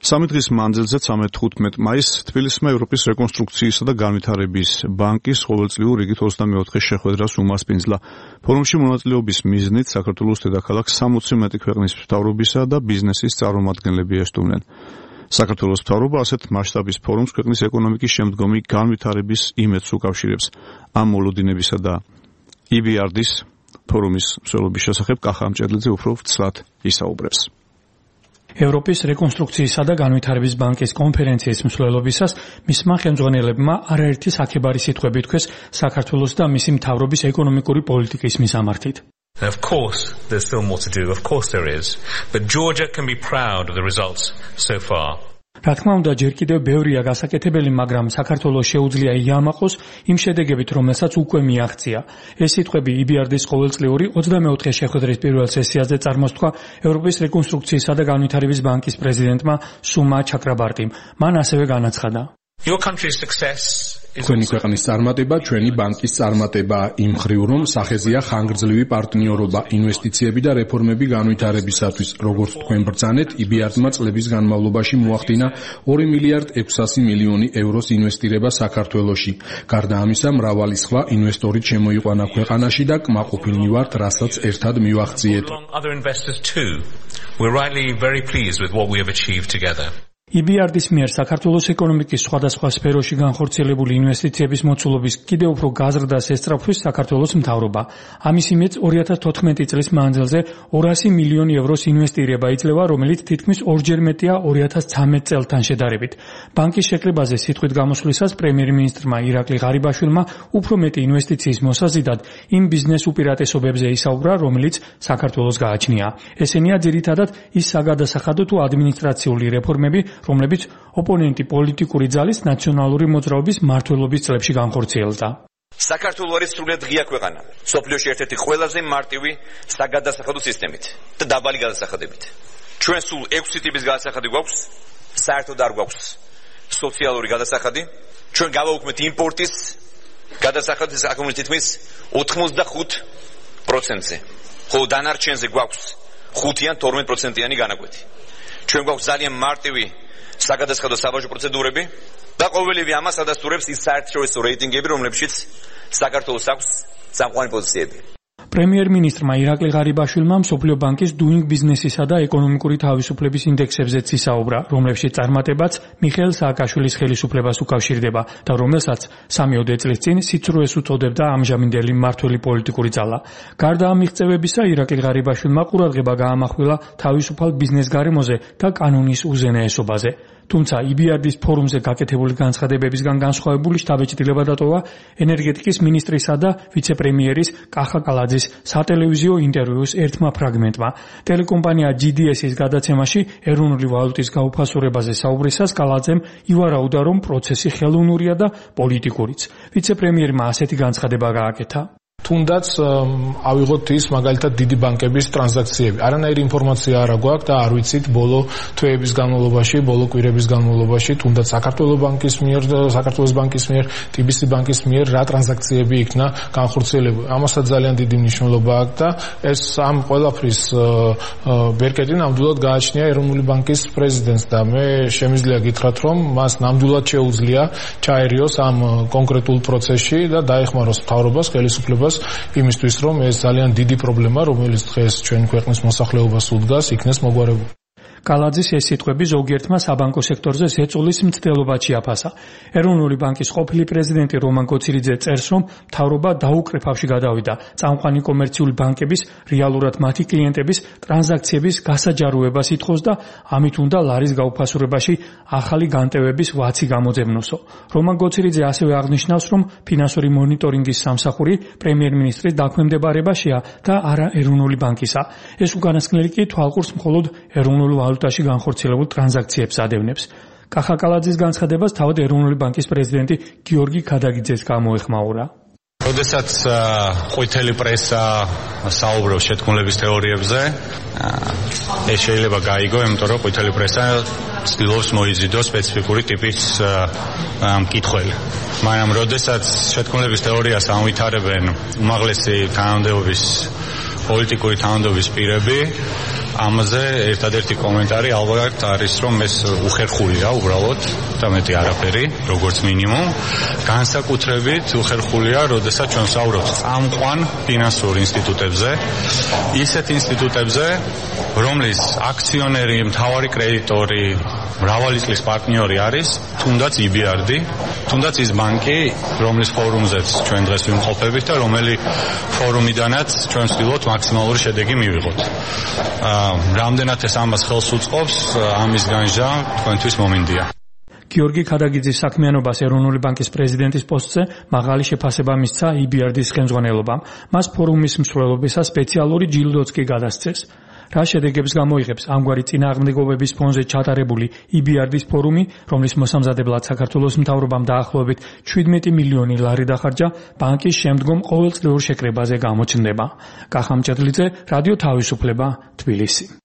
3 დღის მანძილზე 13 მაისს თბილისმა ევროპის რეკონსტრუქციისა და განვითარების ბანკის ყოველწლიურ რიგით 24 შეხვედრას უმასპინძლა. ფორუმში მონაწილეობის მიზნით საქართველოს დედაქალაქს 60 მეტი ქვეყნის მთავრობისა და ბიზნესის წარმომადგენლები ესტუმრნენ. საქართველოს მთავრობა ასეთ მასშტაბის ფორუმს ქვეყნის ეკონომიკის შემდგომი განვითარების იმედს უკავშირებს. ამ მოლოდინებისა და EBRD-ის ფორუმის მსვლელობის შესახებ კახა ამჭედლიძე უფრო ვცლად ისაუბრებს. ევროპის რეკონსტრუქციისა და განვითარების ბანკის კონფერენციის მსვლელობისას მისმა ხელმძღვანელებმა არაერთი საქებარი სიტყვები თქვეს საქართველოს და მისი მთავრობის ეკონომიკური პოლიტიკის მისამართით. Of course, there's still more to do. Of course there is. But Georgia can be proud of the results so far. რა თქმა უნდა, ჯერ კიდევ ბევრია გასაკეთებელი, მაგრამ საქართველოს შეუძლია იამაყოს იმ შედეგებით, რომელსაც უკვე მიაღწია. ეს სიტყვები EBRD-ის ყოველწლიური 24 შეხვედრის პირველ სესიაზე წარმოსთქვა ევროპის რეკონსტრუქციისა და განვითარების ბანკის პრეზიდენტმა სუმა ჩაკრაბარტიმ. მან ასევე განაცხადა: Your country's success თქვენი ქვეყნის წარმატება ჩვენი ბანკის წარმატება იმ ხრივ, რომ სახეზეა ხანგრძლივი პარტნიორობა, ინვესტიციები და რეფორმები განვითარებისათვის. როგორც თქვენ ბრძანეთ, EBRD-მა წლების განმავლობაში მოახდინა 2 მილიარდ 600 მილიონი ევროს ინვესტირება საქართველოში. გარდა ამისა, მრავალი სხვა ინვესტორი შემოიყვანა ქვეყანაში და კმაყოფილნი ვართ, რასაც ერთად მივაღწიეთ. We're rightly very pleased with what we have achieved together. EBRD-ის მიერ საქართველოს ეკონომიკის სხვადასხვა სფეროში განხორციელებული ინვესტიციების მოცულობის კიდევ უფრო გაზრდას ესწრაფვის საქართველოს მთავრობა. ამის იმედს 2014 წლის მანძილზე 200 მილიონი ევროს ინვესტირება იძლევა, რომელიც თითქმის ორჯერ მეტია 2013 წელთან შედარებით. ბანკის შეკრებაზე სიტყვით გამოსვლისას პრემიერ-მინისტრმა ირაკლი ღარიბაშვილმა უფრო მეტი ინვესტიციის მოსაზიდად იმ ბიზნეს უპირატესობებზე ისაუბრა, რომელიც საქართველოს გააჩნია. ესენია ძირითადად ის საგადასახადო თუ ადმინისტრაციული რეფორმები, რომლებიც ოპონენტი პოლიტიკური ძალის ნაციონალური მოძრაობის მმართველობის წლებში განხორციელდა. საქართველო არის სრულიად ღია ქვეყანა, სოფლიოში ერთ-ერთი ყველაზე მარტივი საგადასახადო სისტემით და დაბალი გადასახადებით. ჩვენ სულ 6 ტიპის გადასახადი გვაქვს, საერთოდ არ გვაქვს სოციალური გადასახადი. ჩვენ გავაუქმეთ იმპორტის გადასახადის აკუმულირებით თითქმის 85%-ზე. ხოლო დანარჩენზე გვაქვს 5-იან 12%-იანი განაკვეთი. ჩვენ გვაქვს ძალიან მარტივი საგადასახადო საბაჟო პროცედურები და ყოველივე ამას ადასტურებს ის საერთაშორისო რეიტინგები, რომლებშიც საქართველოს აქვს სამყარო პოზიციები. პრემიერ-მინისტრმა ირაკლი ღარიბაშვილმა მსოფლიო ბანკის Doing Business-ისა და ეკონომიკური თავისუფლების ინდექსებზეც ისაუბრა, რომლებშიც წარმატებაც მიხეილ სააკაშვილის ხელისუფლებას უკავშირდება და რომელსაც 3 წლის წინ სიცრუეს უწოდებდა ამჟამინდელი მმართველი პოლიტიკური ძალა. გარდა ამ მიღწევებისა, ირაკლი ღარიბაშვილმა ყურადღება გაამახვილა თავისუფალ ბიზნეს გარემოზე და კანონის უზენაესობაზე. თუმცა EBRD-ის ფორუმზე გაკეთებული განცხადებებისგან განსხვავებული შთაბეჭდილება დატოვა ენერგეტიკის მინისტრისა და ვიცე-პრემიერის კახა კალაძის სატელევიზიო ინტერვიუს ერთმა ფრაგმენტმა. ტელეკომპანია GDS-ის გადაცემაში ეროვნული ვალუტის გაუფასურებაზე საუბრისას კალაძემ ივარაუდა, რომ პროცესი ხელოვნურია და პოლიტიკურიც. ვიცე-პრემიერმა ასეთი განცხადება გააკეთა: თუნდაც ავიღოთ ის მაგალითად დიდი ბანკების ტრანზაქციები. არანაირი ინფორმაცია არ გვაქვს და არ ვიცით ბოლო თვეების განმავლობაში, ბოლო კვირების განმავლობაში თუნდაც საქართველოს ბანკის მიერ, TBC ბანკის მიერ რა ტრანზაქციები იქნა განხორციელებული. ამასაც ძალიან დიდი მნიშვნელობა აქვს და ეს ამ ყველაფრის ბერკეტი ნამდვილად გააჩნია ეროვნული ბანკის პრეზიდენტს და მე შემიძლია გითხრათ, რომ მას ნამდვილად შეუძლია ჩაერიოს ამ კონკრეტულ პროცესში და დაეხმაროს მთავრობას, ხელისუფლებას იმისთვის, რომ ეს ძალიან დიდი პრობლემა, რომელიც დღეს ჩვენი ქვეყნის მოსახლეობას უდგას, იქნეს მოგვარებული. კალაძის ეს სიტყვები ზოგიერთმა საბანკო სექტორზე ზეწოლის მცდელობად შეაფასა. ეროვნული ბანკის ყოფილი პრეზიდენტი რომან კოცილიძე წერს, რომ მთავრობა დაუკრეფავში გადავიდა წამყვანი კომერციული ბანკების, რეალურად მათი კლიენტების ტრანზაქციების გასაჯაროებას ითხოვს და ამით უნდა ლარის გაუფასურებაში ახალი განტევების ვაცი გამოძებნოსო. რომან კოცილიძე ასევე აღნიშნავს, რომ ფინანსური მონიტორინგის სამსახური პრემიერ-მინისტრის დაქვემდებარებაშია და არა ეროვნული ბანკისა. ეს უკანასკნელი კი თვალყურს მხოლოდ ეროვნულ ვალუტაში განხორციელებულ ტრანზაქციებს ადევნებს. კახა კალაძის განცხადებას თავად ეროვნული ბანკის პრეზიდენტი გიორგი ქადაგიძეს გამოეხმაურა. როდესაც ყვითელი პრესა საუბრობს შეთქმულების თეორიებზე, ეს შეიძლება გაიგო, იმიტომ რომ ყვითელი პრესა ცდილობს მოიზიდოს სპეციფიკური ტიპის მკითხველი. მაგრამ როდესაც შეთქმულების თეორიას ამვითარებენ უმაღლესი თანამდებობის პოლიტიკური თანამდებობის პირები, ამაზე ერთადერთი კომენტარი ალბათ არის, რომ ეს უხერხულია უბრალოდ და მეტი არაფერი, როგორც მინიმუმ. განსაკუთრებით უხერხულია, როდესაც ჩვენ საუბრობთ წამყვან ფინანსურ ინსტიტუტებზე, ისეთ ინსტიტუტებზე, რომლის აქციონერი, მთავარი კრედიტორი, მრავალი წლის პარტნიორი არის, თუნდაც EBRD, თუნდაც ის ბანკი, რომლის ფორუმზეც ჩვენ დღეს ვიმყოფებით და რომელი ფორუმიდანაც ჩვენ ვცდილობთ მაქსიმალური შედეგი მივიღოთ. რამდენად ეს ამას ხელს უწყობს, ამის განსჯა თქვენთვის მომინდია. გიორგი ქადაგიძის საქმიანობას ეროვნული ბანკის პრეზიდენტის პოსტზე მაღალი შეფასება მისცა EBRD-ის ხელმძღვანელობამ. მას ფორუმის მსვლელობისას სპეციალური ჯილდოც კი გადასცეს. რა შედეგებს გამოიღებს ამგვარი წინააღმდეგობების ფონზე ჩატარებული EBRD-ის ფორუმი, რომლის მოსამზადებლად საქართველოს მთავრობამ დაახლოებით 17 მილიონი ლარი დახარჯა, ბანკის შემდგომ ყოველწლიურ შეკრებაზე გამოჩნდება. კახა მჭედლიძე, რადიო თავისუფლება, თბილისი.